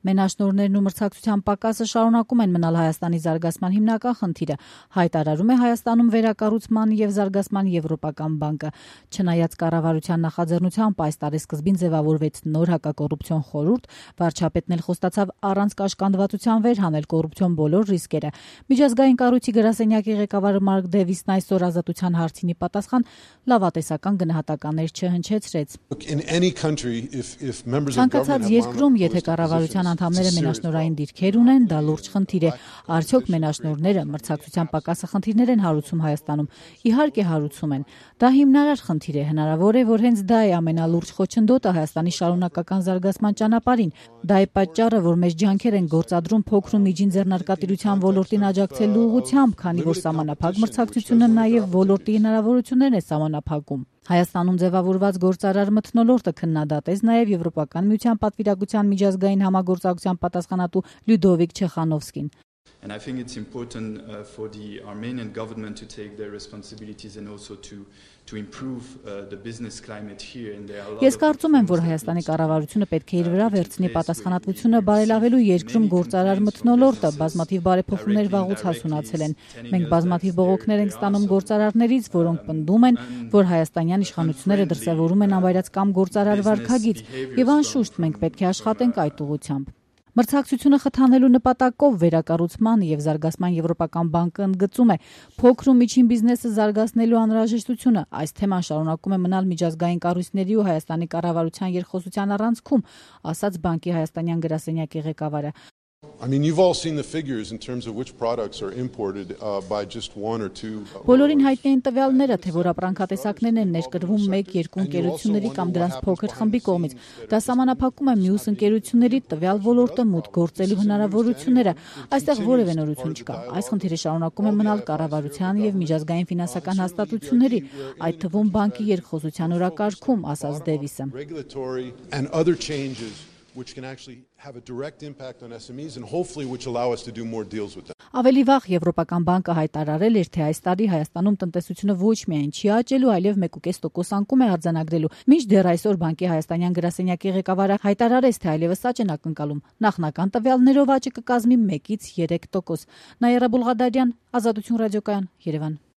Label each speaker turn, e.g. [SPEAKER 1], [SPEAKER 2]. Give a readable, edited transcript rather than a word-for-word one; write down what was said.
[SPEAKER 1] Մենաշնորհներն ու մրցակցության պակասը շարունակում են մնալ Հայաստանի զարգացման հիմնական խնդիրը, հայտարարում է Հայաստանում վերակառուցման և զարգացման Եվրոպական բանկը։ Չնայած կառավարության նախաձեռնությամբ այս տարեսկզբին ձևավորվեց նոր հակակոռուպցիոն խորհուրդ, վարչապետն էլ խոստացավ առանց կաշկանդվածության վերհանել կոռուպցիոն բոլոր ռիսկերը։ Միջազգային կառույցի գրասենյակի ղեկավար Մարկ Դեվիսն այսօր Ազատության հարցինի պատասխան լավատեսական գնահատականներ չհնչեցրեց։ Ցանկացած երկրում, եթե կառավարության անդամները մենաշնորհային դիրքեր ունեն, դա լուրջ խնդիր է։ Արդյոք մենաշնորհները մրցակցության պակասը խնդիրներ են հարուցում Հայաստանում։ Իհարկե հարուցում են։ Դա հիմնարար խնդիր է։ Հնարավոր է, որ հենց դա է ամենալուրջ խոչընդոտը Հայաստանի շարունակական զարգացման ճանապարհին։ Դա է պատճառը, որ մեծ ջանքեր են գործադրում փոքր ու միջին ձեռնարկատիրության ոլորտին աջակցելու ուղղությամբ, քանի որ սահմանափակ մրցակցությունը նաև ոլորտի հնարավորություններն է սահմանափակում։ Հայաստանում ձևավորված գործարար մթնոլորտը քննադատեց նաև Եվրոպական միության պատվիրակության միջազգային համագործակցության պատասխանատու Լյուդովիկ Չեխանովսկին։
[SPEAKER 2] And I think it's important for the Armenian government to take their responsibilities and also to improve the business climate here.
[SPEAKER 1] Ես կարծում եմ, որ Հայաստանի կառավարությունը պետք է իր վրա վերցնի պատասխանատվությունը բարելավելու երկրում գործարար մթնոլորտը, բազմաթիվ բարեփոխումներ վաղուց հասունացել են։ Մենք բազմաթիվ բողոքներ ենք ստանում գործարարներից, որոնք պնդում են, որ հայաստանյան իշխանությունները դրսևորում են անվայրացկամ գործարար վարքագիծ, եւ անշուշտ մենք պետք է աշխատենք այդ ուղղությամբ։ Մրցակցությունը խթանելու նպատակով վերակառուցման և զարգացման Եվրոպական բանկը ընդգծում է փոքր ու միջին բիզնեսը զարգացնելու անհրաժեշտությունը։ Այս թեման շարունակում է մնալ միջազգային կառույցների ու Հայաստանի կառավարության երկխոսության առանցքում, ասաց բանկի հայաստանյան գրասենյակի ղեկավարը։
[SPEAKER 3] You've all seen the figures in terms of which products are imported by just one or two.
[SPEAKER 1] Բոլորին հայտնի են տվյալները, թե որ ապրանքատեսակներն են ներկրվում 1-2 ընկերությունների կամ դրանց փոքր խմբի կողմից։ Դա սահմանափակում է մյուս ընկերությունների տվյալ ոլորտը մուտք գործելու հնարավորությունները։ Այստեղ որևէ նորություն չկա։ Այս խնդիրը շարունակում է մնալ կառավարության եւ միջազգային ֆինանսական հաստատությունների, այդ թվում բանկի երկխոսության օրակարգում, ասաց Դեվիսը։
[SPEAKER 3] Which can actually have a direct impact on SMEs and hopefully which allow us to do more deals with them.
[SPEAKER 1] Ավելի վաղ Եվրոպական բանկը հայտարարել էր, թե այս տարի Հայաստանում տնտեսությունը ոչ միայն չի աճելու, այլև 1.5% անկում է արձանագրելու։ Մինչդեռ այսօր բանկի հայաստանյան գրասենյակի ղեկավարը հայտարարեց, թե այլևս աճ են ակնկալում։ Նախնական տվյալներով աճը կկազմի 1-3%։ Նաիրա Բուլղադարյան, Ազատություն ռադիոկայան, Երևան։